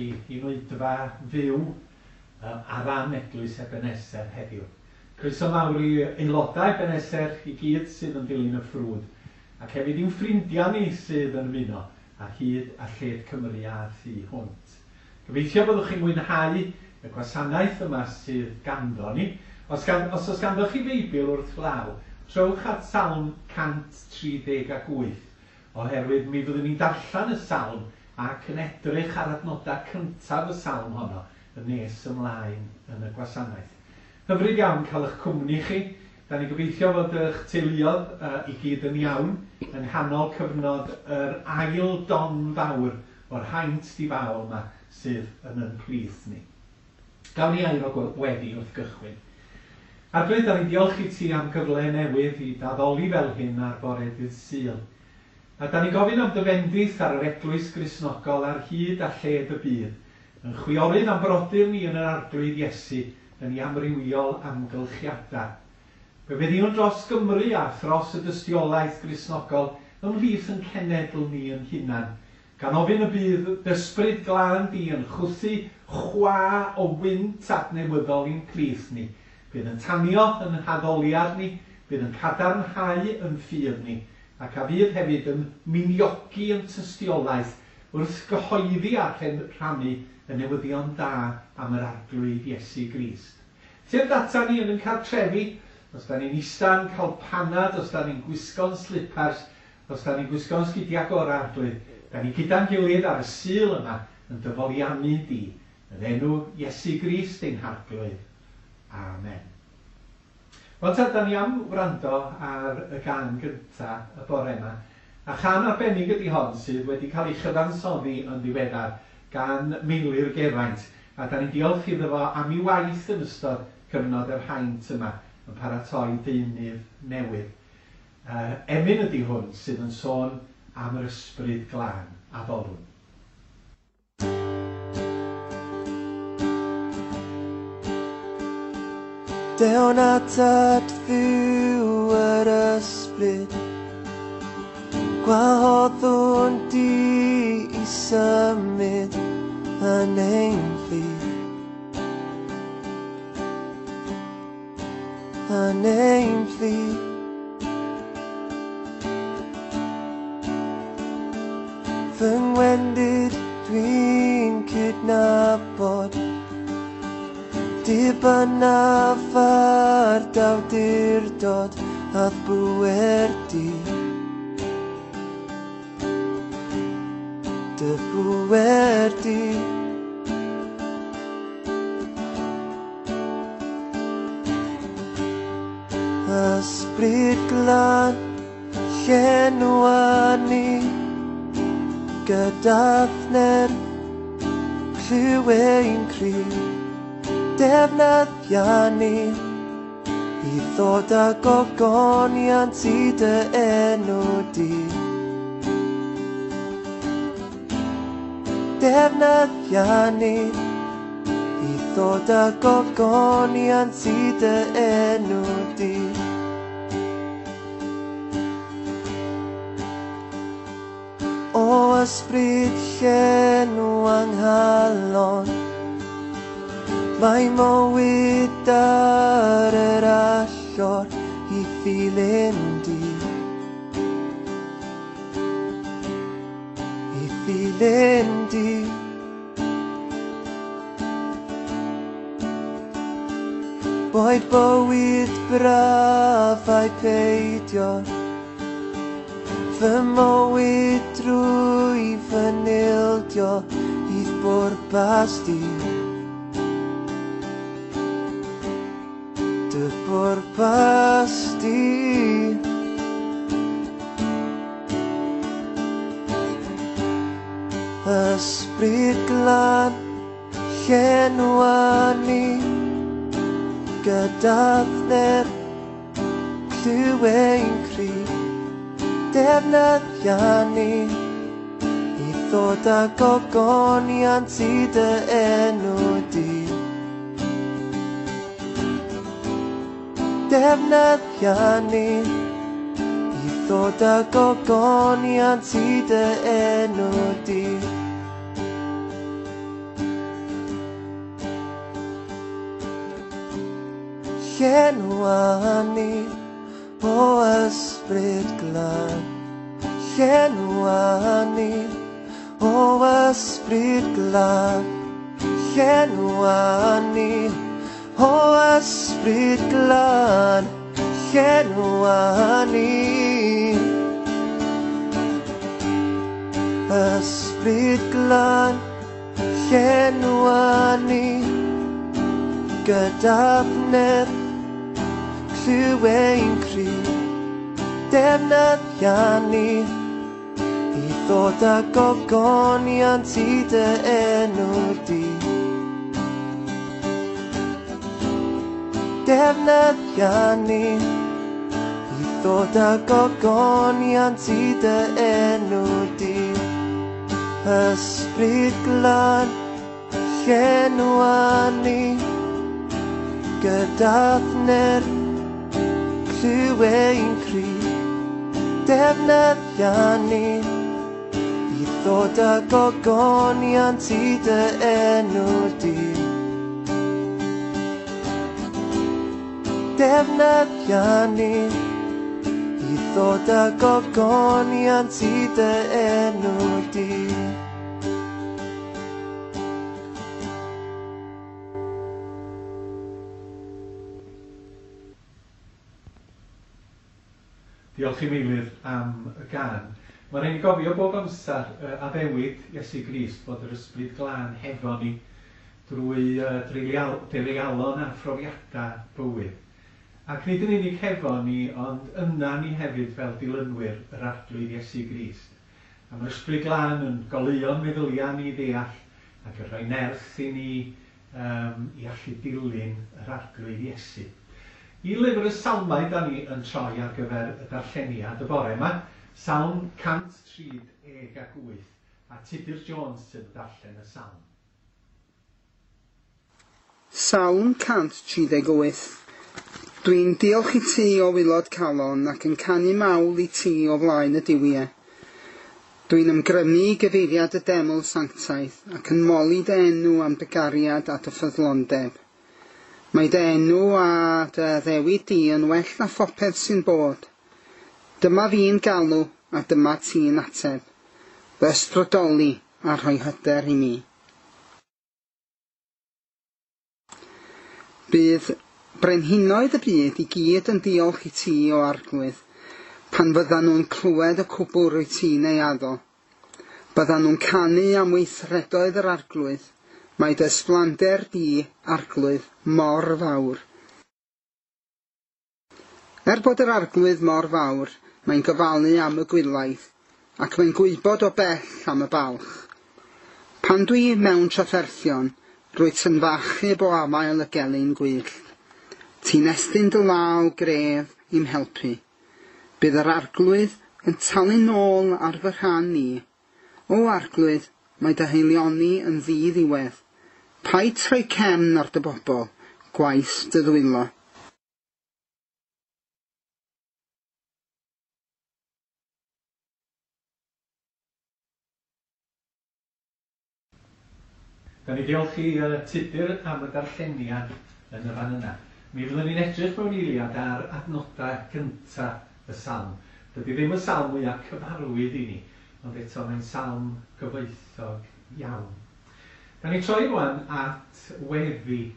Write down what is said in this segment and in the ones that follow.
chi i'n oedfa fyw ar ran Eglwys Ebeneser heddiw. Croeso mawr i aelodau Ebeneser i gyd sydd yn dilyn y ffrwd, ac hefyd i'n ffrindiau ni sydd yn ymuno ar hyd a lled Cymru a thu hwnt. Gobeithio byddwch chi'n mwynhau y gwasanaeth yma sydd ganddo ni. Os, gan, os oes ganddo chi Feibl wrth law, trowch at Salm 138, oherwydd mi fyddwn ni'n darllen y salm ac yn edrych ar adnodau cyntaf y salm honno yn nes ymlaen yn y gwasanaeth. Hyfryd iawn cael eich cwmni chi. Da ni'n gobeithio fod eich teuluodd i gyd yn iawn yng nghanol cyfnod yr ail don fawr o'r haint difaol yma sydd yn yn plith ni. Gawn ni air o weddi wrth gychwyn. Arglwydd, da ni'n diolch i ti am gyfle newydd i d'addoli fel hyn ar bore dydd Sul. A da ni'n gofyn am dy fendith ar yr Eglwys Gristnogol ar hyd a lled y byd, yn chwiorydd a'n brodyr ni yn yr Arglwydd Iesu yn ei amrywiol amgylchiadau. Fe weddïwn dros Gymru a thros y dystiolaeth Gristnogol ymhlith yn cenedl ni yn hunan, gan ofyn y bydd d'Ysbryd Glân di yn chwythu chwa o wynt adnewyddol i'n plith ni. Bydd yn tanio yn haddoliad ni, bydd yn cadarnhau yn ffydd ni, ac a fydd hefyd yn miniogi yn tystiolaeth wrth gyhoeddi a rhannu y newyddion da am yr Arglwydd Iesu Grist. Tyrd ata ni yn yn cartrefi, os da ni'n ista'n cael panad, os da ni'n gwisgo'n slipars, os da ni'n gwisgo'n sgidiau gorau, Arglwydd, da ni gyda'n gilydd ar y Sul yma yn dy foliannu di, yn enw Iesu Grist ein Harglwydd. Amen. Wel ta, da ni am wrando ar y gân gynta y bore yma, a chân arbennig ydi hon sydd wedi cael ei chyfansoddi yn ddiweddar gan Meilir Geraint, a da ni'n diolch iddo fo am ei waith yn ystod cyfnod yr haint yma yn paratoi deunydd newydd. Emyn ydi hwn sydd yn sôn am yr Ysbryd Glân, addolwn. Dewn atat fyw yr ysbryd, gwahoddwn di i symud yn ein plith. Yn ein plith. Fy ngwendid dwi'n cydnabod, dibynnaf ar d'awdurdod a'th bŵer di. Dy bŵer di. Ysbryd Glân, llenwa ni gyda'th nerth, clyw ein cri, defnyddia ni i ddod â gogoniant i dy enw di. Defnyddia ni i ddod â gogoniant i dy enw di. O ysbryd llenw anghalon, mae mywyd ar yr allor i ddilyn di. I ddilyn di. Boed bywyd braf ai peidio, fy mywyd drwy fy nildio i'th bwrpas di. Dy bwrpas di. Ysbryd Glân, llenwa ni gyda'th nerth, clyw ein cri, defnyddia ni i ddod â gogoniant i dy enw di. Defnyddia ni i ddod â gogoniant i dy enw di. Llenwa ni, o Ysbryd Glân. Llenwa ni, o Ysbryd Glân. Llenwa ni, o Ysbryd Glân. Llenwa ni. Ysbryd Glân, llenwa ni. Gyda nerth, clyw ein cri. Defnyddia ni i ddod â gogoniant i dy enw di. Defnyddia ni i ddod â gogoniant i dy enw di. Ysbryd Glân, llenwa ni. Gyda nerth, clyw ein cri. Defnyddia ni i ddod â gogoniant i dy enw di. Defnyddia ni i ddod â gogoniant i dy enw di. Diolch i Meilir am y gân. Mae'n rhaid i gofio bob amser addewid Iesu Grist bod yr Ysbryd Glân hefo ni drwy dreialon a phrofiadau bywyd. Ac nid yn unig hefo ni, ond yna ni hefyd fel dilynwyr yr Arglwydd Iesu Grist. A mae'r Ysbryd Glân yn goleuo'n meddyliau ni ddeall ac yn rhoi nerth i ni i allu dilyn yr Arglwydd Iesu. I lyfr y Salmau da ni yn troi ar gyfer y darlleniad y bore yma, Salm 138, a Tudur Jones sydd yn darllen y salm. Salm 138. Dwi'n diolch i ti o waelod calon ac yn canu mawl i ti o flaen y duwiau. Dwi'n ymgrymu i gyfeiriad y deml sanctaidd ac yn moli dy enw am dy gariad a dy ffyddlondeb. Mae dy enw a dy addewid di yn well na phopeth sy'n bod. Dyma fi'n galw a dyma ti'n ateb. Fy ysbrydoli a rhoi hyder i mi. Bydd brenhinoedd y byd i gyd yn diolch i ti, o Arglwydd, pan fyddan nhw'n clywed y cwbl rwyt ti'n ei addo. Byddan nhw'n canu am weithredoedd yr Arglwydd. Mae dy ysblander di, Arglwydd, mor fawr. Er bod yr Arglwydd mor fawr, mae'n gofalu am y gwylaidd, ac mae'n gwybod o bell am y balch. Pan dwi mewn trafferthion, rwyt yn f'achub o afael y gelyn gwyllt. Ti'n estyn dy law gref i'm helpu. Bydd yr Arglwydd yn talu nôl ar fy rhan i. O Arglwydd, mae dy haelioni yn ddiddiwedd. Paid troi cefn ar dy bobl, gwaith dy ddwylo. Da ni diolch i Tudur am y darlleniad yn y fan yna. Mi fyddwn ni'n edrych mewn eiliad ar adnodau gyntaf y salm. Dydy ddim y salm mwyaf cyfarwydd i ni, ond eto mae'n salm gyfoethog iawn. Da ni troi rwan at weddi,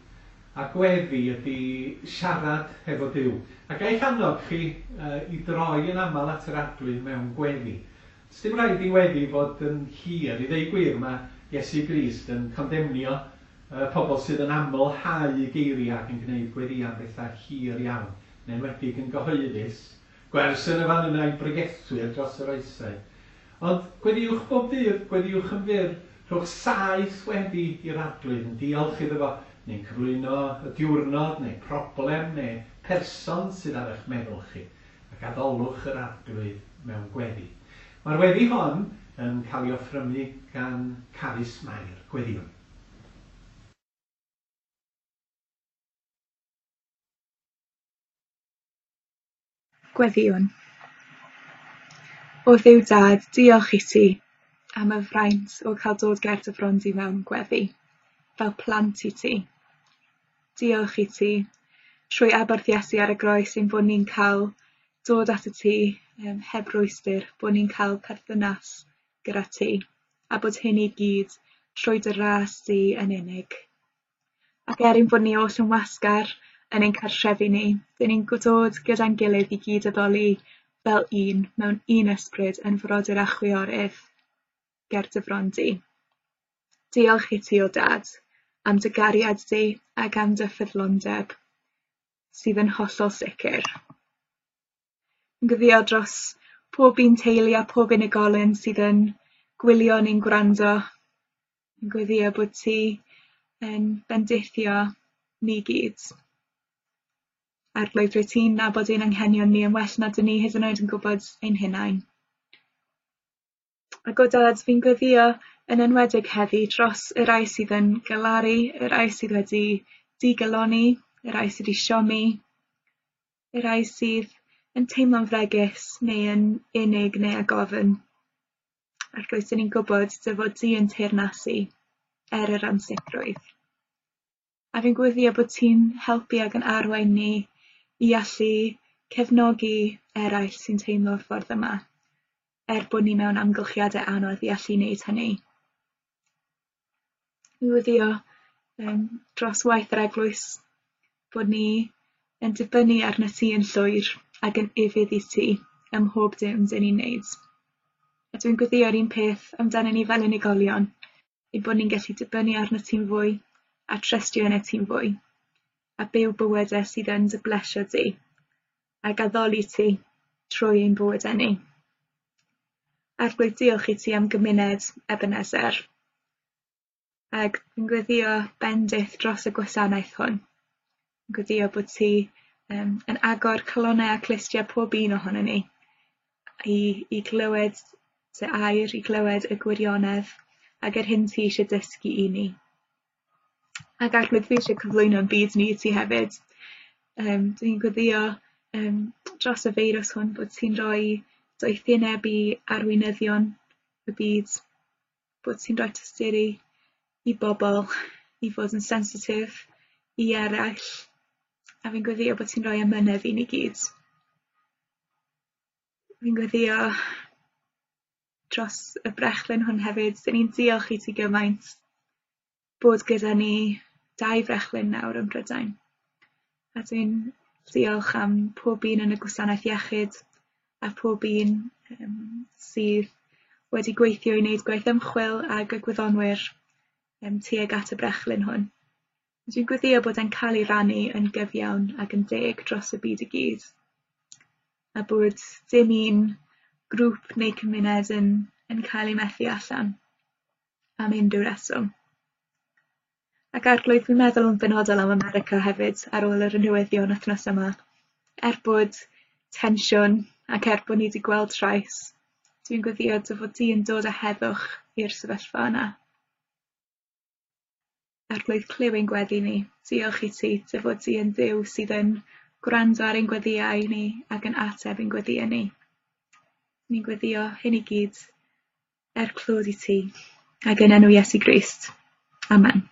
a gweddi ydy siarad hefo Duw. A ga i'ch annog chi i droi yn aml at yr Arglwydd mewn gweddi. Sdim rhaid i weddi fod yn hir. I ddeud gwir, mae Iesu Grist yn condemnio pobl sydd yn amlhau geiriau ac yn gwneud gweddïau am bethau hir iawn, yn enwedig yn gyhoeddus. Gwers yn y fan yna i bregethwyr dros yr oesau. Ond gweddïwch bob dydd, gweddïwch yn fyr, rhowch saeth weddi i'r Arglwydd yn diolch iddo fo, neu'n cyflwyno y diwrnod, neu problem, neu person sydd ar eich meddwl chi, ac addolwch yr Arglwydd mewn gweddi. Mae'r weddi hon yn cael ei offrymu gan Carys Mair. Gweddïwn. Gweddïwn. O Dduw Dad, diolch i ti am y fraint o cael dod ger dy fron di mewn gweddi, fel plant i ti. Diolch i ti trwy aberth Iesu ar y groes ein bod ni'n cael dod at y ti heb rwystr, bod ni'n cael perthynas gyda ti, a bod hyn i gyd trwy dy ras di yn unig. Ac er ein bod ni oll yn wasgar yn ein cartrefi ni, dyn ni'n dod gyda'n gilydd i gyd addoli fel un, mewn un ysbryd, yn frodyr a chwiorydd ger dy fron di. Diolch i ti, o Dad, am dy gariad di ac am dy ffyddlondeb, sydd yn hollol sicr. Yn gweddïo dros pob un teulu a pob unigolyn sydd yn gwylio neu'n gwrando. Yn gweddïo bod ti yn bendithio ni gyd. Arglwydd, rwyt ti'n nabod ein anghenion ni yn well na dyn ni hyd yn oed yn gwybod ein hunain. Ac o Dad, fi'n gweddïo yn enwedig heddi dros y rhai sydd yn galaru, y rhai sydd wedi digalonni, y rhai sydd wedi siomi, y rhai sydd yn teimlo'n fregus neu yn unig neu ag ofn. Arglwydd, dyn ni'n gwybod dy fod di yn teyrnasu er yr ansicrwydd. A fi'n gweddïo bod ti'n helpu ac yn arwain ni i allu cefnogi eraill sy'n teimlo'r ffordd yma, er bod ni mewn amgylchiadau anodd i allu wneud hynny. Fi'n gweddïo dros waith yr eglwys, bod ni yn dibynnu arnat ti yn llwyr ac yn ufudd i ti ym mhob dim dyn ni'n wneud. A dwi'n gweddïo'r un peth amdano ni fel unigolion, ein bod ni'n gallu dibynnu arnat ti'n fwy a trystio yna ti'n fwy, a byw bywydau sydd yn dy blesio di, ac addoli ti trwy ein bywydau ni. Arglwydd, diolch i ti am gymuned Ebenezer, ac fi'n gweddïo bendith dros y gwasanaeth hwn. Fi'n gweddïo bod ti yn agor calonnau a clustiau pob un ohonon ni i glywed dy air, i glywed y gwirionedd ac yr hyn ti eisiau dysgu i ni. Ac Arglwydd, fi eisiau cyflwyno'n byd ni i ti hefyd. Dwi'n gweddïo dros y feirws hwn bod ti'n rhoi doethineb i arweinyddion y byd, bod ti'n rhoi tosturi i bobl i fod yn sensitif i eraill, a fi'n gweddïo bod ti'n rhoi amynedd i ni gyd. Fi'n gweddïo dros y brechlyn hwn hefyd. Dyn ni'n diolch i ti gymaint bod gyda ni 2 frechlyn nawr ym Mhrydain. A dwi'n diolch am pob un yn y gwasanaeth iechyd a pob un sydd wedi gweithio i wneud gwaith ymchwil ag y gwyddonwyr tuag at y brechlyn hwn. Dwi'n gweddïo bod e'n cael ei rannu yn gyfiawn ac yn deg dros y byd i gyd, a bod dim un grŵp neu cymuned yn cael ei methu allan am unrhyw reswm. Ac Arglwydd, fi'n meddwl yn benodol am America hefyd ar ôl yr newyddion wythnos yma. Er bod tensiwn ac er bod ni wedi gweld trais, dwi'n gweddïo dy fod di yn dod â heddwch i'r sefyllfa yna. Arglwydd, clyw ein gweddi ni. Diolch i ti dy fod di yn Dduw sydd yn gwrando ar ein gweddïau ni ac yn ateb ein gweddïau ni. Ni'n gweddïo hyn i gyd er clod i ti ac yn enw Iesu Grist. Amen.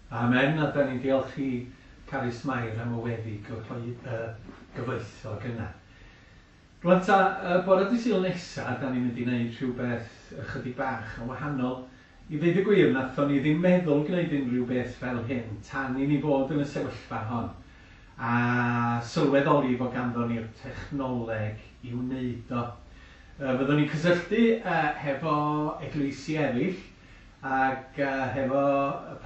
Amen, a da ni'n diolch i Carys Mair am y weddi gyfoethog yna. Rwan ta, bore dydd Sul nesa, da ni'n mynd i wneud rhywbeth ychydig bach yn wahanol. I ddeud y gwir, nathon ni ddim meddwl gwneud unrhyw beth fel hyn tan i ni fod yn y sefyllfa hon, a sylweddoli fod ganddo ni'r technoleg i wneud o. Fyddwn ni'n cysylltu hefo eglwysi eraill ac hefo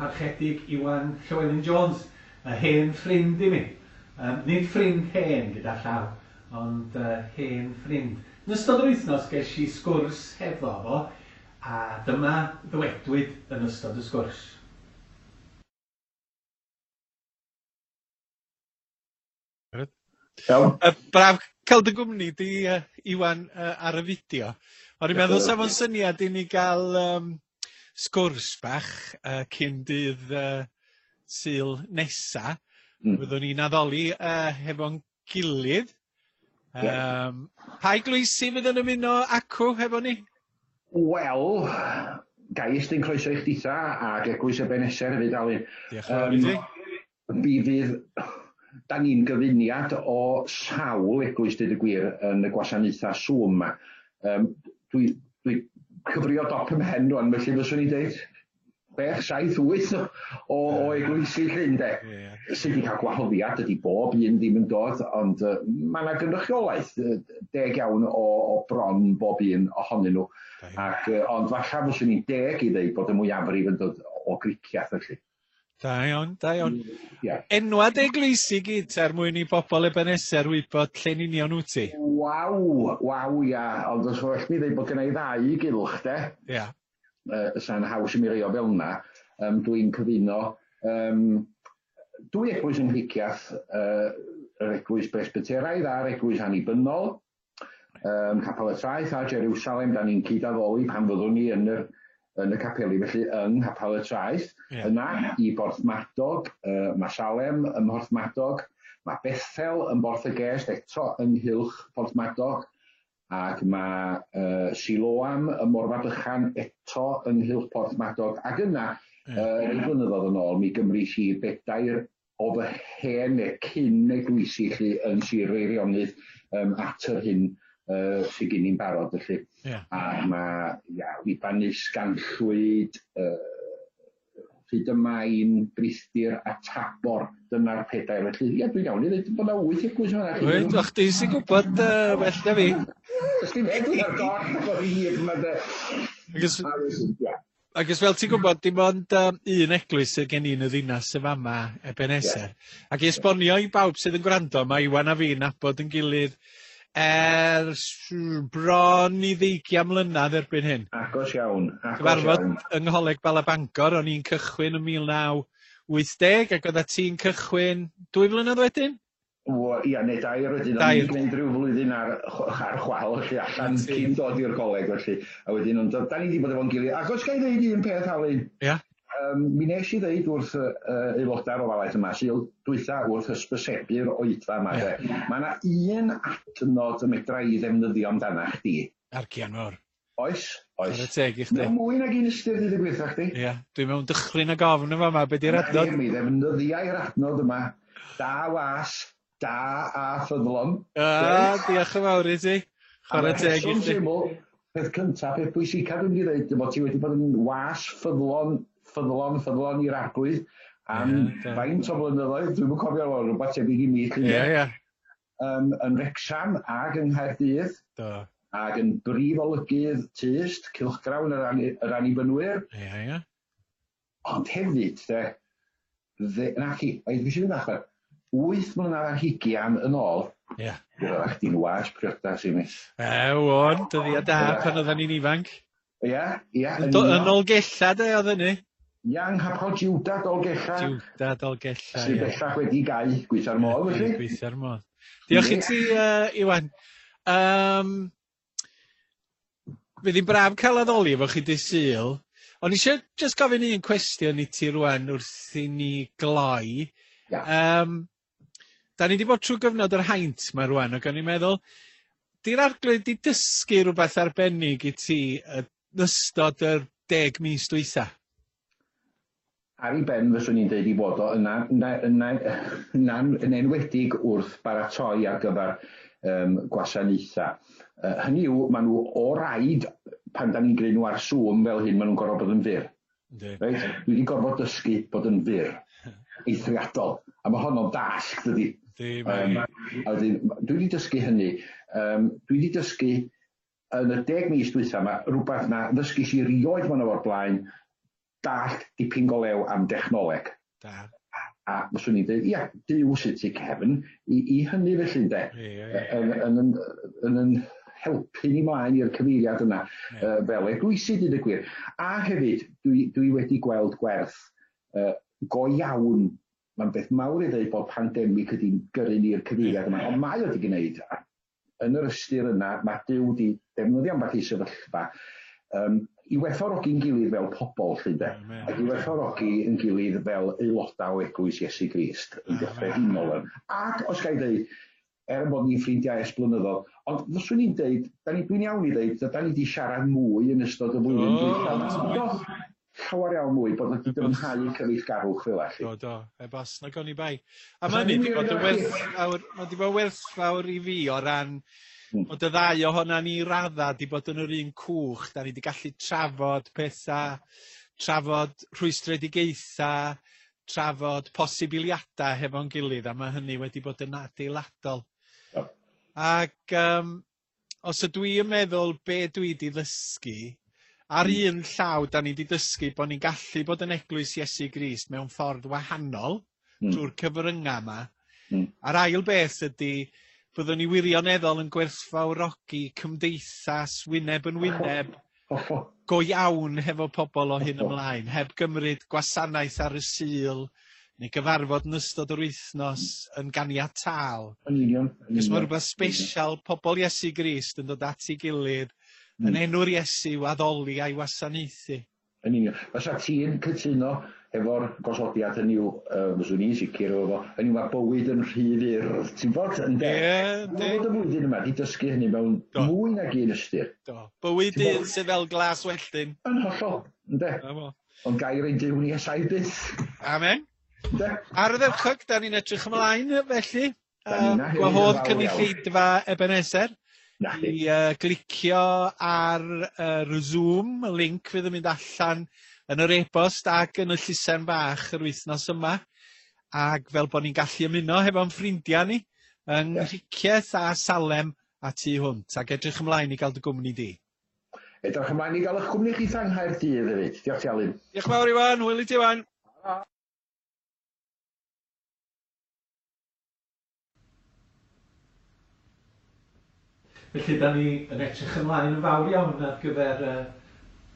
parchedig Iwan Llywelyn Jones, y hen ffrind i mi. Nid ffrind hen gyda llaw, ond hen ffrind. Yn ystod yr wythnos ges i sgwrs hefo fo, a dyma ddywedwyd yn ystod y sgwrs. Iawn. Braf cael dy gwmni di, Iwan, ar y fideo. O'n i'n meddwl sa fo'n syniad i ni gael sgwrs bach cyn dydd Sul nesa. Fyddwn ni'n addoli hefo'n gilydd. Pa eglwysi fydd yn ymuno acw hefo ni? Wel, Ga i estyn croeso i chditha ag Eglwys Ebeneser hefyd, Alun. Diolch yn fawr i ti. Mi fydd, da ni'n gyfuniad o sawl eglwys, deud y gwir, yn y gwasanaethau Zoom 'ma. Dwi, dwi cyfrio dop 'y mhen rwan, felly fyswn i'n deud 6, 7, 8 o, o eglwysi 'lly, ynde? Yeah. Sydd wedi cael gwahoddiad, dydy bob un ddim yn dod, ond mae yna gynrychiolaeth deg iawn o, o bron bob un ohonyn nhw. Ac, ond falle fyswn i'n deg i ddeud bod y mwyafrif yn dod o Gricieth felly. Da iawn, da iawn. Yeah. Enwad eglwysi gyd er mwyn i bobl Ebeneser wybod lle'n union wyt ti. Waw, waw, ia. Ond os well mi ddeud bod gen i ddau gylch, de. Ia. Yeah. Sa'n haws i mi rei o fel yna. Dwi'n cyfuno dwy eglwys yng Nghricieth, yr eglwys Presbyteraidd a'r eglwys Annibynnol, Capel y Traeth a Jerusalem, da ni'n cyd-addoli pan fyddwn ni yn yr, yn y capeli, felly yng Nghapel y Traeth. Yeah. Yna i Borthmadog, mae Salem ym Mhorthmadog, mae Bethel yn Borth y Gest eto ynghylch Porthmadog, ac mae Siloam ym Morfa Bychan eto ynghylch Porthmadog, ac yna, yeah. Rhai blynyddoedd yn ôl, mi gymrys i bedair o fy hen neu cyn eglwysi 'lly yn Sir Feirionnydd at yr hyn sydd gen i'n barod felly. Yeah. A mae, ia, Libanus, Ganllwyd, hyd yma i'n Brithdir a Tabor, dyna'r pedair felly. Ia, dwi'n iawn i ddweud bod yna wyth eglwys yma. Wyt, o'ch di sy'n gwybod well na fi. Ys ti'n meddwl ar goll o'r hir yma de. Ac Ac os fel ti'n gwybod, dim ond un eglwys sydd gen i yn y ddinas yn fama, Ebenezer. Yeah. Ac i esbonio i bawb sydd yn gwrando, mae Iwan a fi'n nabod yn gilydd ers bron i ddeugian mlynedd erbyn hyn. Agos iawn, agos Cyfarfod iawn. yng Ngholeg Bala Bangor, o'n i'n cychwyn yn 1980 ac oeddet ti'n cychwyn 2 flynedd wedyn? O, ia, neu dair wedyn, o'n i'n gwneud rhyw flwyddyn ar, ar chwal, felly, allan cyn dod i'r coleg, felly. A wedyn, ond da ni wedi bod efo'n gilydd. Ac os ga i ddeud un peth, Alun? Ia. Mi nes i ddeud wrth aelodau'r ofalaeth yma, Sul dwytha wrth hysbysebu'r oedfa yma, yeah. de. Mae yna un adnod y medra i ddefnyddio amdana chdi. Argian fawr. Oes, oes. Chwarae teg i chdi. Mewn mwy nag un ystyr, dweud y gwir wrtha chdi. Ia, dwi mewn dychryn ag ofn yn fama, be di'r adnod? Mi ddefnyddiai'r adnod yma. Da was, da a ffyddlon. Ah, diolch yn fawr i ti. Chwarae teg i chdi. Syml, peth cyntaf, peth pwysicaf dwi'n mynd i ddeud, bod ti wedi bod yn was ffyddlon, ffyddlon, ffyddlon i'r Arglwydd am yeah, faint o flynyddoedd, dwi'm yn cofio, rhywbeth tebyg i mi. Ie, ie. Yn Wrecsam ac yng Nghaerdydd. Do. Ac yn brif olygydd Tyst, cylchgrawn yr, yr Annibynwyr. Ie, ie. Ond hefyd, de, dde, na chi, oedd fi eisiau mynd 8 mlynedd ar hugian yn ôl, Ie. Yeah. Roedd chdi'n was priodas i mi. Ew, on, dyddiau da pan oedden ni'n ifanc. Ie, ie. Yn Dolgella, de, oedd hynny? Ia, yng Nghapel Jiwda, Dolgella. Jiwda, Dolgella, Sydd bellach wedi gau, gweitha'r modd, felly. Gweitha'r modd. Diolch i ti, Iwan. Fydd hi'n braf cael addoli efo chi dydd Sul. O'n i eisiau just gofyn un cwestiwn i ti rwan wrth i ni gloi. Yeah. Da ni wedi bod trwy gyfnod yr haint ma rwan, ac o'n i'n meddwl, di'r Arglwydd di dysgu rhywbeth arbennig i ti yn ystod yr 10 mis dwytha? Ar ei ben, fyswn i'n deud i fod o yna, yna, yn enwedig wrth baratoi ar gyfer gwasanaethau. Hynny yw, maen nhw o raid, pan da ni'n gwneud nhw ar Zoom fel hyn, maen nhw'n gorfod bod yn fyr. Reit? Dwi wedi gorfod dysgu bod yn fyr. Eithriadol. A mae honno'n dasg, dydy. A wedyn, dwi wedi dysgu hynny. Dwi wedi dysgu yn y 10 mis dwytha yma, rhywbeth na ddysgus i rioed mewn o'r blaen, dallt dipyn go lew am dechnoleg. Da. A fyswn i'n dweud, ia, Duw sydd tu cefn i hynny felly, ynde? Yn helpu ni mlaen i'r cyfeiriad yna, fel eglwysi, dweud y gwir. A hefyd, dwi wedi gweld gwerth go iawn. Mae'n beth mawr i ddweud bod pandemig ydy'n gyrru ni'r cyfeiriad yma, ond mae o wedi gwneud. Yn yr ystyr yna, mae Duw wedi defnyddio ambell i sefyllfa i werthfawrogi'n gilydd fel pobl, lly, ynde? Ac i werthfawrogi yn gilydd fel aelodau o Eglwys Iesu Grist yn gyffredinol. Ac, os ga i ddeud, er bod ni'n ffrindiau ers blynyddoedd, ond fyswn i'n deud, dwi'n iawn i ddeud, da ni wedi siarad mwy yn ystod y flwyddyn dwytha. Llawer iawn mwy, bod wedi dyfnhau cyfeillgarwch fel allu. Do, do, heb os na gawn ni bai. A mae hynny wedi bod yn werthfawr, mae wedi bod werthfawr i fi o ran bod y ddau ohona ni radda wedi bod yn yr un cwch, da ni wedi gallu trafod pethau, trafod rhwystredigaethau, trafod posibiliadau hefo'n gilydd, a mae hynny wedi bod yn adeiladol. Ac os ydw i yn meddwl be dwi wedi ddysgu, ar un llaw da ni wedi dysgu bod ni'n gallu bod yn eglwys Iesu Grist mewn ffordd wahanol trwy'r cyfryngau yma. A'r ail beth ydy byddwn ni wirioneddol yn gwerthfawrogi cymdeithas wyneb yn wyneb go iawn hefo pobl o hyn ymlaen, heb gymryd gwasanaeth ar y Sul neu gyfarfod yn ystod yr wythnos yn ganiataol. Yn union. Cos mae rhywbeth special, pobl Iesu Grist yn dod at ei gilydd yn enw'r Iesu i'w addoli a'i wasanaethu. Yn union. Fysa ti'n cytuno efo'r gosodiad hynny yw, fyswn i'n sicr efo fo, hynny yw mae bywyd yn rhy fyr, ti'n bod, ynde? Ie, yndi. Mae bod y flwyddyn yma wedi dysgu hynny mewn mwy nag un ystyr. Do. Bywyd un sydd fel glas welltyn. Yn hollol, ynde? Ond gair ein Duw ni ers byth. Amen. Ynde? Ar y ddechrau, da ni'n edrych ymlaen felly. Gwahodd cynulleidfa Ebenezer i glicio ar yr Zoom, y link fydd yn mynd allan yn yr e-bost ac yn y llysen bach yr wythnos yma, ac fel bod ni'n gallu ymuno hefo'n ffrindiau ni yng Nghricieth a Salem a tu hwnt, ac edrych ymlaen i gael dy gwmni di. Edrych ymlaen i gael eich cwmni chi yng Nghaerdydd hefyd. Diolch ti Alun. Diolch yn fawr Iwan, hwyl i ti Iwan. Felly, da ni yn edrych ymlaen yn fawr iawn ar gyfer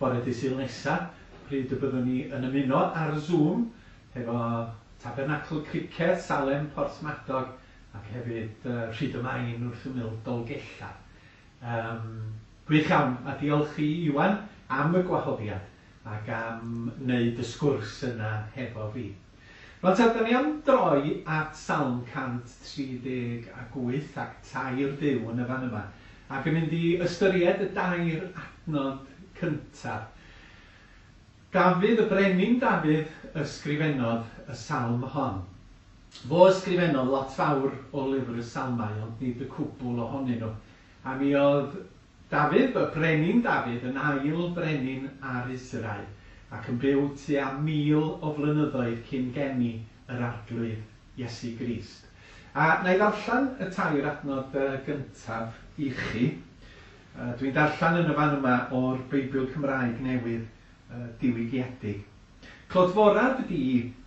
bore dydd Sul nesa, pryd y byddwn ni yn ymuno ar Zoom hefo Tabernacl Criced, Salem, Porthmadog ac hefyd Rhyd y Main wrth ymyl Dolgellau. Gwych iawn, a diolch i Iwan am y gwahoddiad ac am wneud y sgwrs yna hefo fi. Rwan te, da ni am droi at Salm 138 ac tair Duw yn y fan yma, ac yn mynd i ystyried y dair adnod cyntaf. Dafydd, y brenin Dafydd, ysgrifennodd y salm hon. Fo ysgrifennodd lot fawr o lyfr y salmau, ond nid y cwbl ohonyn nhw. A mi oedd Dafydd, y brenin Dafydd, yn ail brenin ar Israel, ac yn byw tua 1000 o flynyddoedd cyn geni yr Arglwydd Iesu Grist. A na i ddarllen y tair adnod gyntaf i chi. Dwi'n darllen yn y fan yma o'r Beibl Cymraeg Newydd diwygiedig. Clodforaf di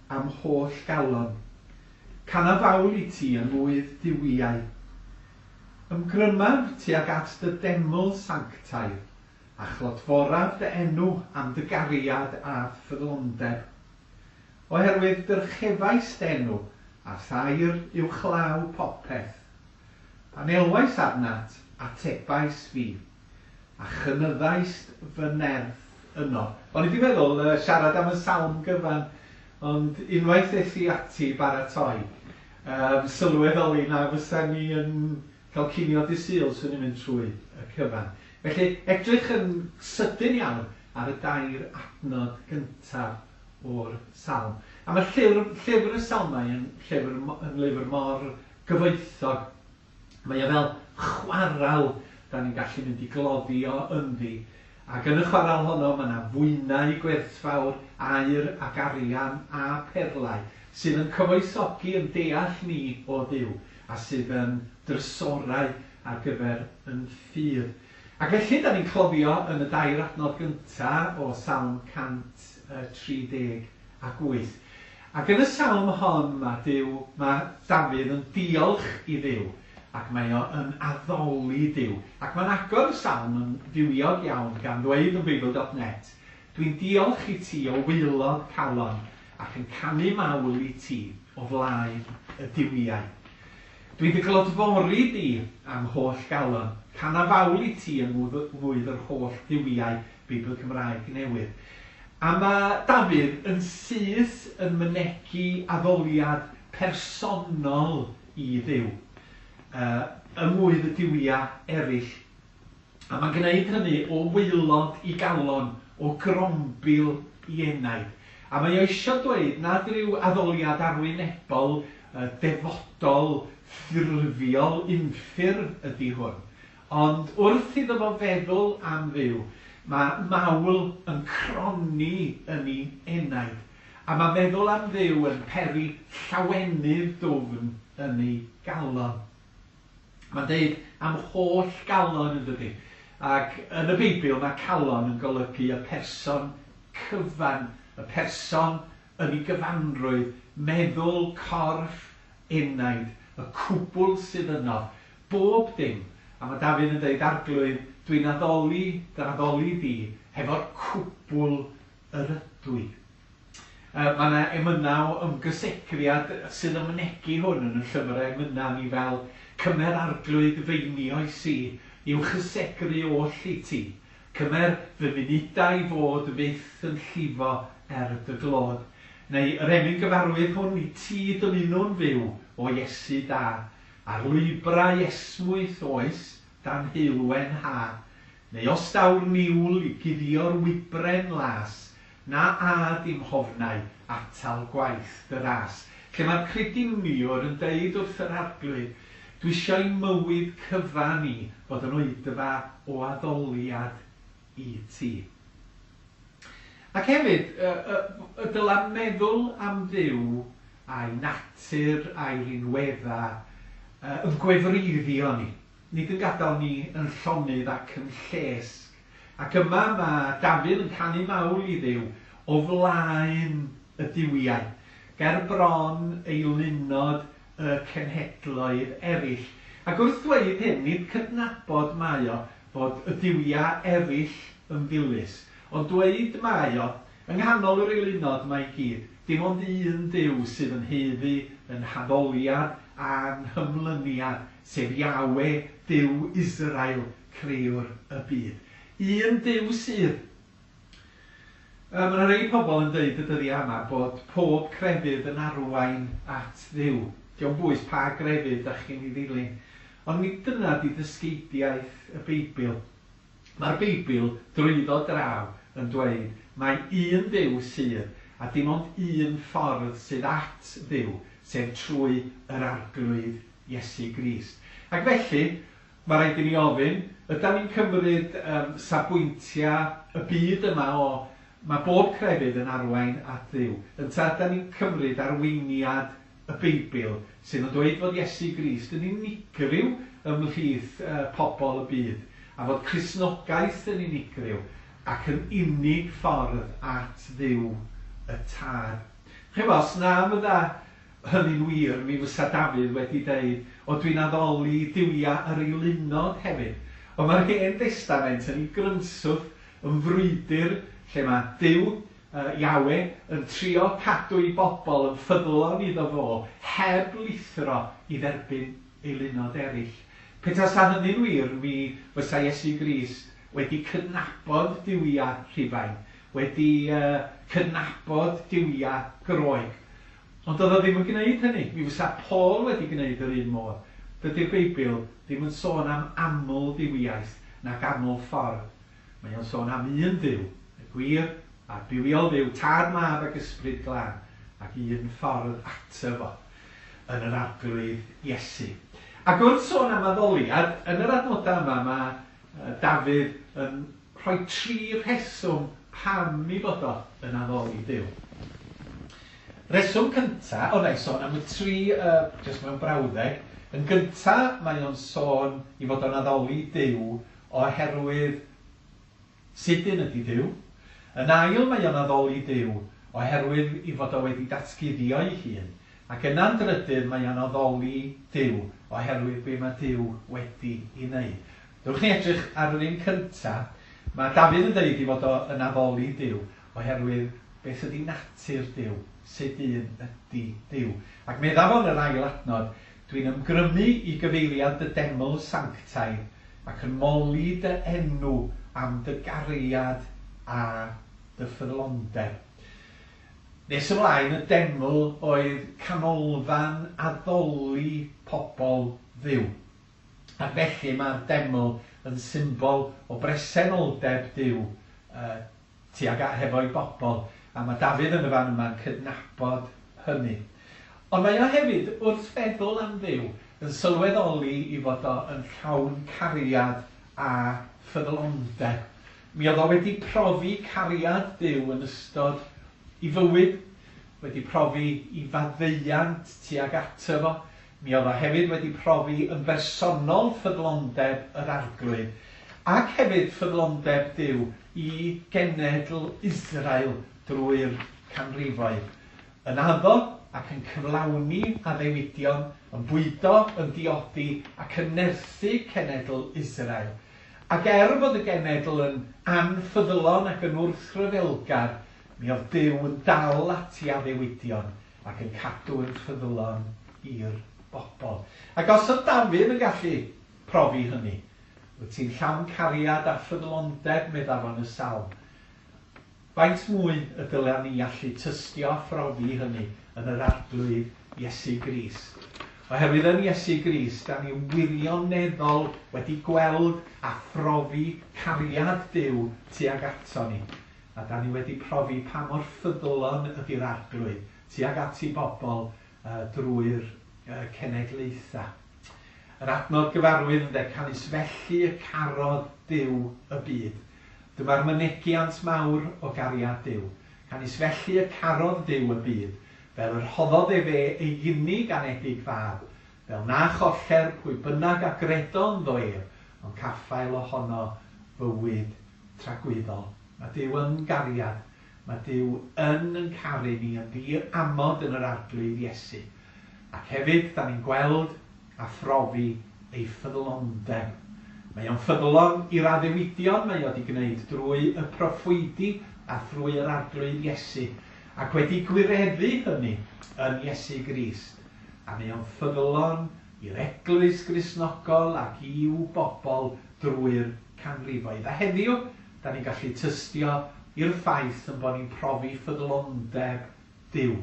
am holl galon. Canaf fawl i ti yng ngwydd duwiau. Ymgrymaf tuag at dy deml sanctaidd, a chlodforaf dy enw am dy gariad a ffyddlondeb. Oherwydd dyrchefais dy enw, a thair uwchlaw popeth. Pan elwais arnat, atebais fi, a chynyddaist fy nerth yno. O'n i wedi meddwl siarad am y salm gyfan, ond unwaith es i ati baratoi, sylweddoli na fysa ni yn cael cinio dydd Sul swn i'n mynd trwy y cyfan. Felly, edrych yn sydyn iawn ar y dair adnod gyntaf o'r salm. A mae llyfr y salmau yn lyfr mor gyfoethog. Mae o fel chwarel da ni'n gallu mynd i gloddio ynddi. Ac yn y chwarel honno mae yna fwynau gwerthfawr, aur ac arian a perlau sydd yn cyfoethogi yn deall ni o Dduw a sydd yn drysorau ar gyfer yn ffydd. Ac felly, da ni'n cloddio yn y dair adnod gyntaf o Salm 138. Ac yn y salm hon mae Duw, mae Dafydd yn diolch i Dduw, ac mae o yn addoli Duw. Ac mae'n agor y salm yn fywiog iawn gan ddweud yn Beibl.net, dwi'n diolch i ti o waelod calon ac yn canu mawl i ti o flaen y duwiau. Dwi'n dy glodfori di am holl galon, canaf fawl i ti yng ngwydd yr holl dduwiau Beibl Cymraeg Newydd. A mae Dafydd yn syth yn mynegi addoliad personol i Dduw. ym mwydd y duwiau eraill. A mae'n gwneud hynny o waelod i galon, o grombil i enaid. A mae o eisiau dweud nad rhyw addoliad arwynebol, defodol, ffurfiol, unffurf ydy hwn. Ond wrth iddo fo feddwl am Dduw, mae mawl yn cronni yn ei enaid. A mae meddwl am Dduw yn peri llawenydd dwfn yn ei galon. Mae'n deud am holl galon, yn dydy. Ac yn y Beibl mae calon yn golygu y person cyfan, y person yn ei gyfanrwydd, meddwl, corff, enaid, y cwbl sydd yno, bob dim. A mae Dafydd yn dweud, Arglwydd, dwi'n addoli, dy addoli di, hefo'r cwbl yr ydw i. Mae yna emynau o ymgysegriad sydd yn mynegi hwn yn y llyfrau emynau ni fel cymer Arglwydd f'einioes i, i'w chysegru oll i ti. Cymer fy munudau i fod fyth yn llifo er dy glod. Neu yr emyn gyfarwydd hwn i ti dymunwn fyw o Iesu da, ar lwybrau esmwyth oes dan heulwen ha. Neu os daw'r niwl i guddio'r wybren las, na ad i'm hofnau atal gwaith dy ras. Lle mae'r crediniwr yn deud wrth yr Arglwydd, dwi eisiau i mywyd cyfan i fod yn oedfa o addoliad i ti. Ac hefyd, y dyla meddwl am Dduw a'i natur a'i rinweddau yn gwefreiddio ni, nid yn gadael ni yn llonydd ac yn llesg. Ac yma mae Dafydd yn canu mawl i Dduw o flaen y duwiau, ger bron eilunod y cenhedloedd eraill. Ac wrth ddweud hyn, nid cydnabod mae o fod y duwiau eraill yn ddilys, ond dweud mae o, yng nghanol yr eilunod mae i gyd, dim ond un Duw sydd yn haeddu yn haddoliad a'n hymlyniad, sef Yahweh, Duw Israel, crëwr y byd. Un Duw sydd. Mae yna rei pobl yn dweud y dyddiau yma bod pob crefydd yn arwain at Dduw. Dio'm bwys pa grefydd dach chi'n ei ddilyn. Ond nid dyna di dysgeidiaeth y Beibl. Mae'r Beibl drwyddo draw yn dweud mai un Dduw sydd, a dim ond un ffordd sydd at Dduw, sef trwy yr Arglwydd Iesu Grist. Ac felly, mae rhaid i ni ofyn, ydan ni'n cymryd safbwyntiau y byd yma o mae bob crefydd yn arwain at Dduw, ynta ydan ni'n cymryd arweiniad y Beibl sydd yn dweud fod Iesu Grist yn unigryw ymhlith pobl y byd, a fod Cristnogaeth yn unigryw ac yn unig ffordd at Dduw y Tad. Chimod, os na fydda hynny'n wir, mi fysa Dafydd wedi deud, o dwi'n addoli duwiau yr eilunod hefyd. Ond mae'r Hen Destament yn ei grynswth yn frwydr lle mae Duw, Yahweh, yn trio cadw ei bobl yn ffyddlon iddo fo, heb lithro i dderbyn eilunod eraill. Petasa hynny'n wir, mi fysa Iesu Grist wedi cydnabod duwiau Rhufain, wedi cydnabod duwiau Groeg. Ond doedd o ddim yn gwneud hynny. Mi fysa Paul wedi gwneud yr un modd. Dydy'r Beibl ddim yn sôn am aml dduwiaeth nac aml ffordd. Mae o'n sôn am un Dduw, y gwir a'r bywiol Dduw, Tad, Mab ac Ysbryd Glân, ac un ffordd ato fo, yn yr Arglwydd Iesu. Ac wrth sôn am addoliad, yn yr adnodau yma mae Dafydd yn rhoi tri rheswm pam i fod o yn addoli Duw. Rheswm cynta, o na i sôn am y tri jyst mewn brawddeg. Yn gynta, mae o'n sôn i fod o'n addoli Duw oherwydd sut un ydy Duw. Yn ail, mae o'n addoli Duw oherwydd i fod o wedi datguddio'i hun. Ac yna'n drydydd, mae o'n addoli Duw oherwydd be mae Duw wedi i wneud. Dewch ni edrych ar yr un cynta. Mae Dafydd yn deud i fod o yn addoli Duw oherwydd beth ydy natur Duw, sut un ydy Duw. Ac medda fo yn yr ail adnod, dwi'n ymgrymu i gyfeiriad dy deml sanctaidd ac yn moli dy enw am dy gariad a dy ffyddlondeb. Nes ymlaen, y deml oedd canolfan addoli pobl Dduw. Ac felly mae'r deml yn symbol o bresenoldeb Duw tuag hefo'i bobl, a mae Dafydd yn y fan yma'n cydnabod hynny. Ond mae o hefyd, wrth feddwl am Dduw, yn sylweddoli i fod o yn llawn cariad a ffyddlondeb. Mi oedd o wedi profi cariad Duw yn ystod ei fywyd, wedi profi ei faddeuant tuag ato fo. Mi oedd o hefyd wedi profi yn bersonol ffyddlondeb yr Arglwydd, ac hefyd ffyddlondeb Duw i genedl Israel drwy'r canrifoedd. Yn addo ac yn cyflawni addewidion, yn bwydo, yn diodi ac yn nerthu cenedl Israel. Ac er fod y genedl yn anffyddlon ac yn wrthryfelgar, mi oedd Duw yn dal ati addewidion ac yn cadw yn ffyddlon i'r bobl. Ac os oedd Dafydd yn gallu profi hynny, wyt ti'n llawn cariad a ffyddlondeb, meddaf yn y salm. Faint mwy y dylen ni allu tystio a phrofi hynny yn yr Arglwydd Iesu Grist. Oherwydd yn Iesu Grist, da ni wirioneddol wedi gweld a phrofi cariad Duw tuag ato ni. A da ni wedi profi pa mor ffyddlon ydy'r Arglwydd tuag at ei bobl drwy'r cenedlaethau. Yr adnod gyfarwydd ynde, canys felly y carodd Duw y byd. Dyma'r mynegiant mawr o gariad Duw. Canys felly y carodd Duw y byd, fel yr rhoddodd efe ei unig anedig fab, fel na choller pwy bynnag a gredo ynddo ef, ond caffael ohono fywyd tragwyddol. Mae Duw yn gariad. Mae Duw yn yn caru ni yn ddiamod yn yr Arglwydd Iesu. Ac hefyd, da ni'n gweld a phrofi ei ffyddlondeb. Mae o'n ffyddlon i'r addewidion mae o wedi gwneud drwy y proffwydi a thrwy yr Arglwydd Iesu, ac wedi gwireddu hynny yn Iesu Grist. A mae o'n ffyddlon i'r Eglwys Gristnogol ac i'w bobl drwy'r canrifoedd. A heddiw, da ni'n gallu tystio i'r ffaith yn bod ni'n profi ffyddlondeb Duw.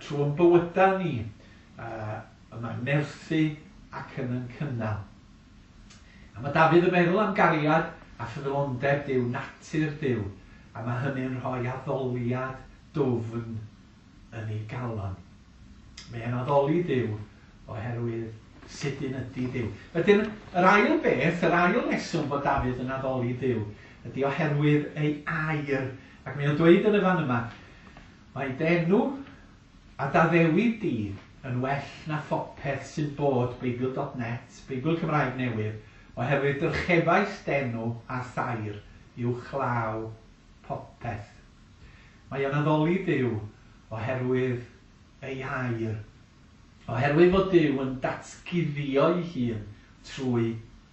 Trwy'n bywydau ni, yma'n nerthu ac yn yn cynnal. A mae Dafydd yn meddwl am gariad a ffyddlondeb Duw, natur Duw, a mae hynny'n rhoi addoliad dwfn yn ei galon. Mae e'n addoli Duw oherwydd sut un ydy Duw. Wedyn, yr ail beth, yr ail reswm bod Dafydd yn addoli Duw, ydy oherwydd ei air. Ac mae o'n dweud yn y fan yma, mae d'enw a d'addewid di yn well na phopeth sy'n bod, Beibl.net, Beibl Cymraeg Newydd, oherwydd dyrchefais d'enw a thair uwchlaw popeth. Mae o'n addoli Duw oherwydd ei air. Oherwydd fod Duw yn datguddio'i hun trwy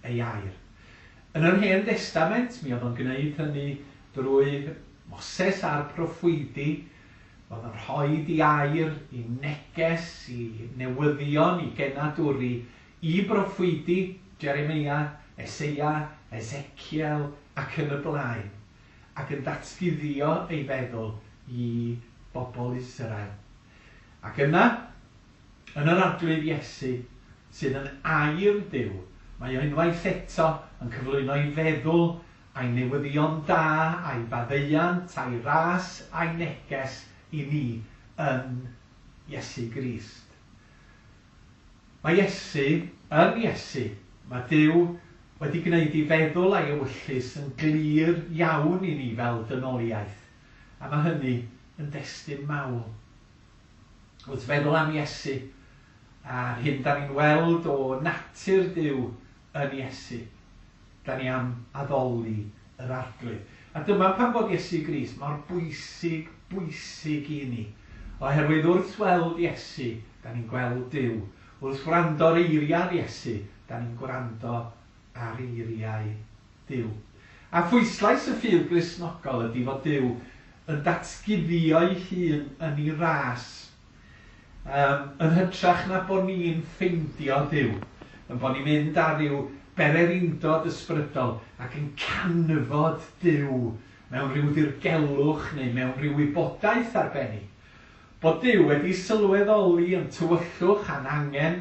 ei air. Yn yr Hen Destament, mi oedd o'n gwneud hynny drwy Moses a'r proffwydi. Oedd yn rhoi ei air i neges, i newyddion, i genadwri, i broffwydi Jeremia, Eseia, Ezekiel ac yn y blaen, ac yn datguddio ei feddwl i bobl Israel. Ac yna, yn yr Arglwydd Iesu, sydd yn air Duw, mae o unwaith eto yn cyflwyno ei feddwl a'i newyddion da, a'i faddeuant, a'i ras, a'i neges i ni yn Iesu Grist. Mae Iesu, yn Iesu, mae Duw wedi gwneud ei feddwl a'i ewyllys yn glir iawn i ni fel dynoliaeth, a mae hynny yn destun mawl. Wrth feddwl am Iesu, a'r hyn da ni'n weld o natur Duw yn Iesu, da ni am addoli yr Arglwydd. A dyma pam bod Iesu Grist mor bwysig, bwysig i ni. Oherwydd wrth weld Iesu, da ni'n gweld Duw. Wrth wrando ar eiriau'r Iesu, da ni'n gwrando ar eiriau Duw. A phwyslais y ffydd Gristnogol ydy fod Duw yn datguddio'i hun yn ei ras, yn hytrach na bod ni'n ffeindio Duw, yn bod ni'n mynd ar ryw bererindod ysbrydol ac yn canfod Duw mewn rhyw ddirgelwch neu mewn rhyw wybodaeth arbennig. Bod Duw wedi sylweddoli yn tywyllwch a'n angen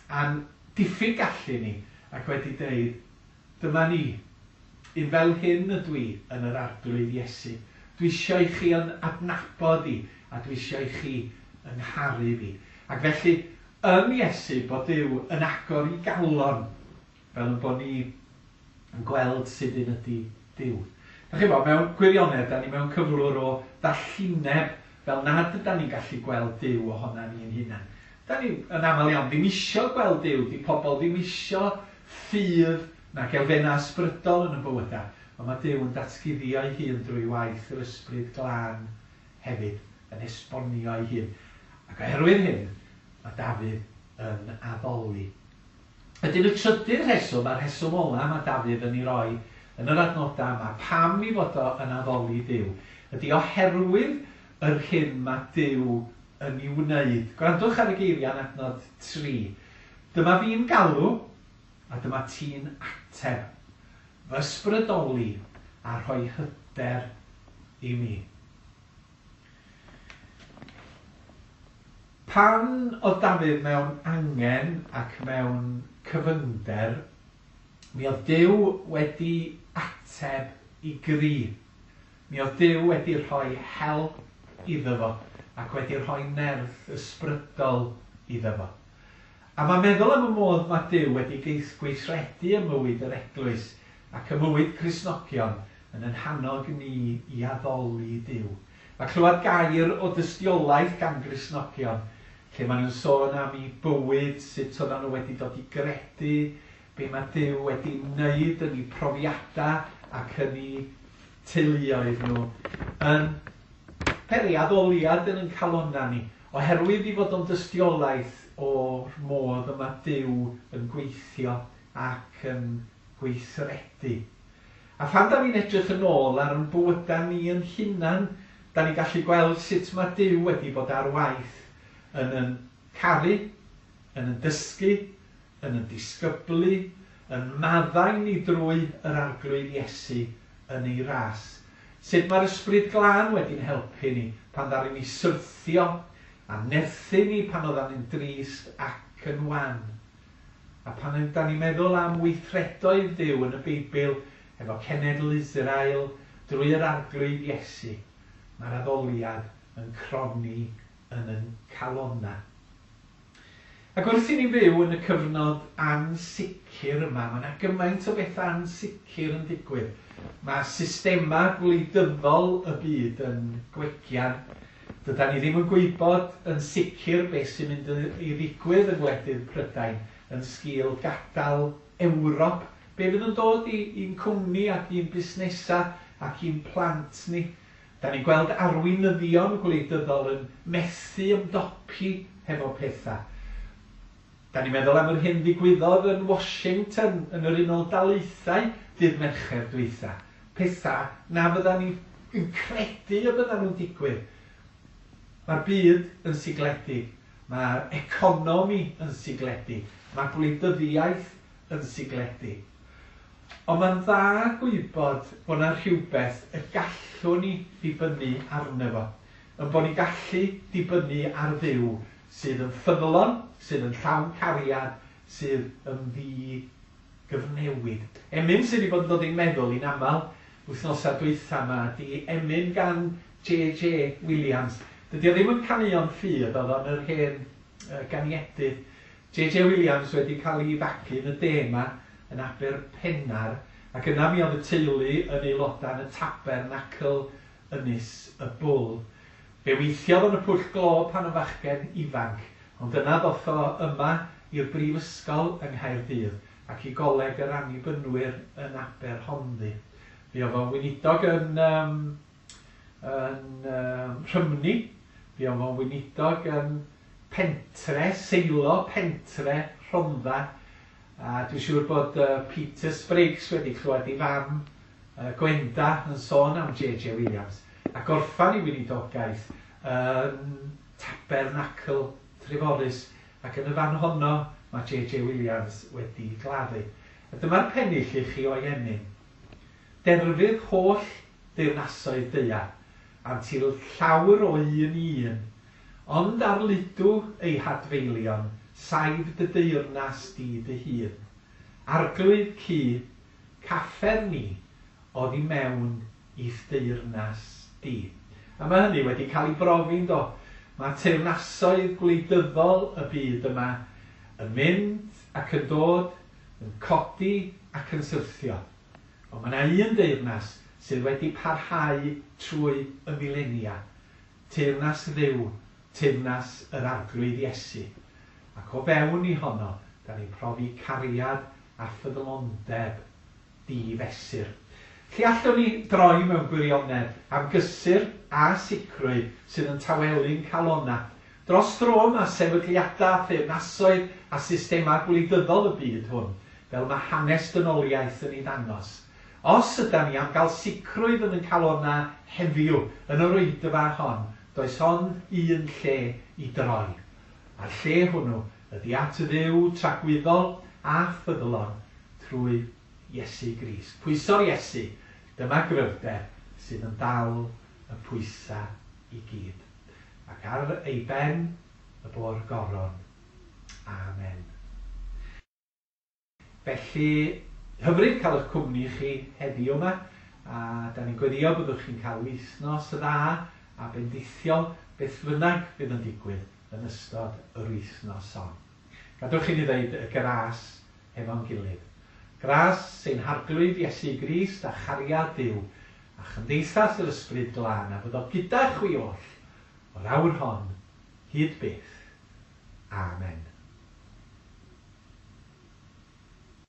a'n diffyg gallu ni ac wedi deud, dyma ni, un fel hyn ydw i yn yr Arglwydd Iesu. Dwi eisiau i chi yn adnabod i a dwi eisiau i chi yng ngharu fi. Ac felly, yn Iesu, bod Duw yn agor i galon, fel yn bod ni yn gweld sut un ydy Duw. Da chi'n bod, mewn gwirionedd, da ni mewn cyflwr o ddallineb fel nad ydan ni'n gallu gweld Duw ohona ni'n hunan. Da ni yn aml iawn ddim isio gweld Duw, di pobl ddim isio ffydd nag elfennau ysbrydol yn y bywydau, ond mae Duw yn datguddio ei hun drwy waith yr Ysbryd Glân hefyd, yn esbonio ei hun. Ac oherwydd hyn, mae Dafydd yn addoli. Wedyn y trydydd rheswm, a'r rheswm ola mae Dafydd yn ei roi yn yr adnodau yma, pam i fod o yn addoli Duw, ydy oherwydd yr hyn mae Duw yn ei wneud. Gwrandwch ar y geiriau yn adnod 3. Dyma fi'n galw, a dyma ti'n ateb. Fy ysbrydoli a rhoi hyder i mi. Pan oedd Dafydd mewn angen ac mewn cyfyngder, mi oedd Duw wedi ateb i gri. Mi oedd Duw wedi rhoi help iddo fo ac wedi rhoi nerth ysbrydol iddo fo. A mae meddwl am y modd mae Duw wedi gweithredu ym mywyd yr eglwys ac ym mywyd Cristnogion yn ein hannog ni i addoli Duw. Mae clywed gair o dystiolaeth gan Gristnogion, lle maen nhw'n sôn am eu bywyd, sut oedden nhw wedi dod i gredu, be mae Duw wedi wneud yn eu profiadau ac yn eu teuluoedd nhw, yn peri addoliad yn ein calonnau ni, oherwydd i fod o'n dystiolaeth o'r modd y mae Duw yn gweithio ac yn gweithredu. A phan da ni'n edrych yn ôl ar ein bywydau ni yn hunan, da ni'n gallu gweld sut mae Duw wedi bod ar waith yn yn caru, yn yn dysgu, yn yn disgyblu, yn maddau ni drwy yr Arglwydd Iesu yn ei ras. Sut mae'r Ysbryd Glân wedi'n helpu ni pan ddaru ni syrthio a nerthu ni pan oeddan ni'n drist ac yn wan. A pan da ni'n meddwl am weithredoedd Duw yn y Beibl efo cenedl Israel drwy yr Arglwydd Iesu, mae'r addoliad yn cronni yn yn calonnau. Ac wrth i ni fyw yn y cyfnod ansicr yma, mae yna gymaint o bethau ansicr yn digwydd. Mae systemau gwleidyddol y byd yn gwegian. Dydan ni ddim yn gwybod yn sicr beth sy'n mynd i ddigwydd yng ngwledydd Prydain yn sgil gadael Ewrop. Be fydd yn dod i'n cwmni ac i'n busnesau ac i'n plant ni? Da ni'n gweld arweinyddion gwleidyddol yn methu ymdopi hefo pethau. Da ni'n meddwl am yr hyn ddigwyddodd yn Washington yn yr Unol Daleithiau dydd Mercher dwytha. Pethau na fydda ni yn credu y bydda nhw'n digwydd. Mae'r byd yn sigledig, mae'r economi yn sigledig, mae gwleidyddiaeth yn sigledig. Ond mae'n dda gwybod bod yna rhywbeth y gallwn ni ddibynnu arno fo. Yn bod ni'n gallu dibynnu ar Dduw sydd yn ffyddlon, sydd yn llawn cariad, sydd yn ddi-gyfnewid. Emyn sydd wedi bod yn dod i'n meddwl i'n aml wythnosau dwytha yma ydy emyn gan J.J. Williams. Dydy o ddim yn caneuon ffydd, oedd o'n yr hen ganiedydd. J.J. Williams wedi cael ei fagu yn y de yma, yn Aberpennar, ac yna mi oedd y teulu yn aelodau yn y Tabernacl Ynys y Bwl. Fe weithiodd yn y pwll glo pan yn fachgen ifanc, ond yna ddoth o yma i'r brifysgol yng Nghaerdydd ac i Goleg yr Annibynwyr yn Aberhonddu. Fe oedd o'n weinidog yn, um, yn um, Rhymni, fe oedd o'n weinidog yn Pentre, Seilo, Pentre, Rhondda, a dwi'n siŵr bod Peter Spriggs wedi clywed ei fam Gwenda yn sôn am J.J. Williams, a gorffan ei weinidogaeth yn Tabernacl Treforys, ac yn y fan honno mae J.J. Williams wedi gladdu. A dyma'r pennill i chi o'i emyn. Derfydd holl deyrnasoedd daear, antil llawr o un i un, ond ar ludw ei hadfeilion Saif dy deyrnas di dy hun. Arglwydd cu, caffer ni oddi mewn i'th deyrnas di. A mae hynny wedi cael ei brofi, yndo? Mae teyrnasoedd gwleidyddol y byd yma yn mynd ac yn dod, yn codi ac yn syrthio. Ond mae yna un deyrnas sydd wedi parhau trwy y milenia. Teyrnas Dduw, teyrnas yr Arglwydd Iesu. Ac o fewn i honno, da ni'n profi cariad a ffyddlondeb di-fesur. Lle allwn ni droi mewn gwirionedd am gysur a sicrwydd sydd yn tawelu'n calonnau? Dros dro mae sefydliadau, theyrnasoedd a systemau gwleidyddol y byd hwn, fel mae hanes dynoliaeth yn ei ddangos. Os ydan ni am gael sicrwydd yn ein calonnau heddiw, yn yr oedfa hon, does ond un lle i droi. A'r lle hwnnw ydy at Dduw tragwyddol a ffyddlon trwy Iesu Grist. Pwyso'r Iesu, dyma gryfder sydd yn dal y pwysau i gyd. Ac ar ei ben y bo'r goron. Amen. Felly, hyfryd cael eich cwmni chi heddiw yma, a da ni'n gweddio byddwch chi'n cael wythnos dda a bendithiol beth bynnag fydd yn digwydd yn ystod yr wythnos hon. Gadewch i ni ddeud y gras hefo'n gilydd. Gras ein Harglwydd Iesu Grist a chariad Duw a chymdeithas yr Ysbryd Glân a fyddo gyda chwi oll o'r awr hon hyd byth. Amen.